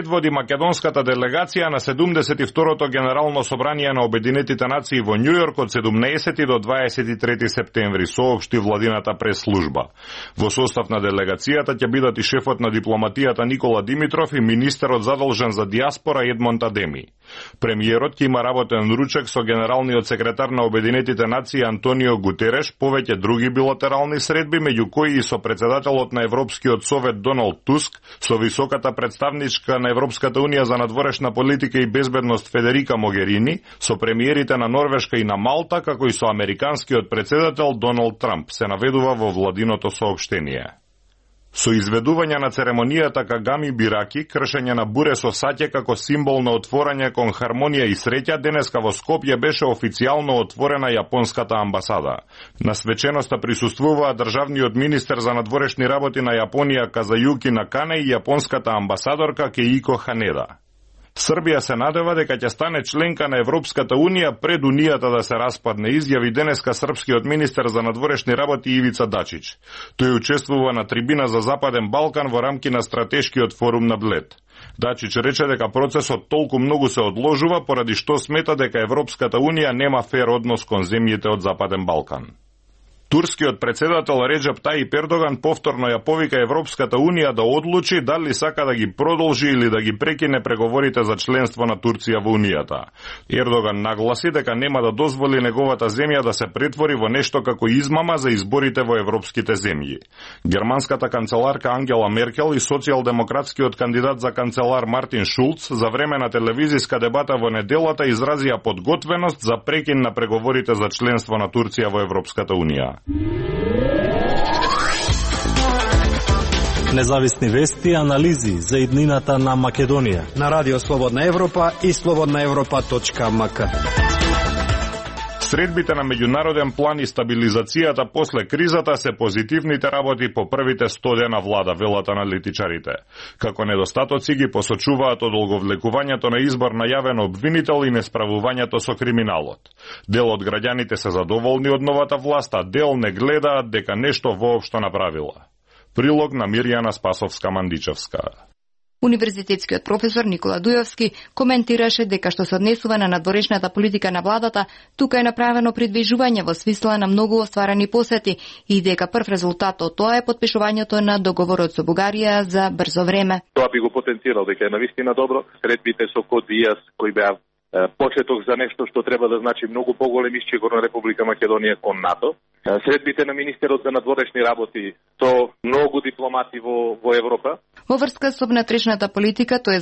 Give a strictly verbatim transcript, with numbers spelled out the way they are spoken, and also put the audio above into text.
предводи македонската делегација на седумдесет и второто Генерално собрание на Обединетите нации во Њујорк од седумнаесети до дваесет и трети септември, соопшти владината прес-служба. Во состав на делегацијата ќе бидат и шефот на дипломатијата Никола Димитров и министерот задолжен за диаспора Едмонд Адеми. Премиерот ќе има работен ручек со генералниот секретар на Обединетите нации Антонио Гутереш, повеќе други билатерални средби, меѓу кои и со председателот на Европскиот совет Доналд Туск, со високата представничка на Европската унија за надворешна политика и безбедност Федерика Могерини, со премиерите на Норвешка и на Малта, како и со американскиот председател Доналд Трамп, се наведува во владиното соопштение. Со изведување на церемонијата Кагами Бираки, кршење на буре со саќе како символ на отворање кон хармонија и среќа, денеска во Скопје беше официјално отворена јапонската амбасада. На свеченоста присуствуваа државниот министер за надворешни работи на Јапонија Казајуки Накане и јапонската амбасадорка Кеико Ханеда. Србија се надева дека ќе стане членка на Европската унија пред унијата да се распадне, изјави денеска српскиот министер за надворешни работи Ивица Дачич. Тој учествува на трибина за Западен Балкан во рамки на стратешкиот форум на Блед. Дачич рече дека процесот толку многу се одложува поради што смета дека Европската унија нема фер однос кон земјите од Западен Балкан. Турскиот председател Реджеп Тајип Ердоган повторно ја повика Европската унија да одлучи дали сака да ги продолжи или да ги прекине преговорите за членство на Турција во унијата. Ердоган нагласи дека нема да дозволи неговата земја да се претвори во нешто како измама за изборите во европските земји. Германската канцеларка Ангела Меркел и социјалдемократскиот кандидат за канцелар Мартин Шулц за време на телевизиска дебата во неделата изразија подготвеност за прекин на преговорите за членство на Турција во Европската унија. Независни вести и анализи за иднината на Македонија на Радио Слободна Европа и слободна европа точка ем ка. Средбите на меѓународен план и стабилизацијата после кризата се позитивните работи по првите сто дена влада, велат аналитичарите. Како недостатоци ги посочуваат одолговлекувањето на избор на јавен обвинител и несправувањето со криминалот. Дел од граѓаните се задоволни од новата власт, а дел не гледаат дека нешто воопшто направила. Прилог на Мирјана Спасовска-Мандичевска. Универзитетскиот професор Никола Дујовски коментираше дека што се однесува на надворешната политика на владата, тука е направено придвижување во смисла на многу остварени посети и дека прв резултат од тоа е подпишувањето на договорот со Бугарија за брзо време. Тоа би го потенцирал дека е навистина добро. Средбите со Код Диас кои беа почеток за нешто што треба да значи многу поголем исчегор на Република Македонија кон НАТО. Средбите на министерот за надворешни работи со многу дипломати во, во Европа. Во врска со внатрешната политика, тој е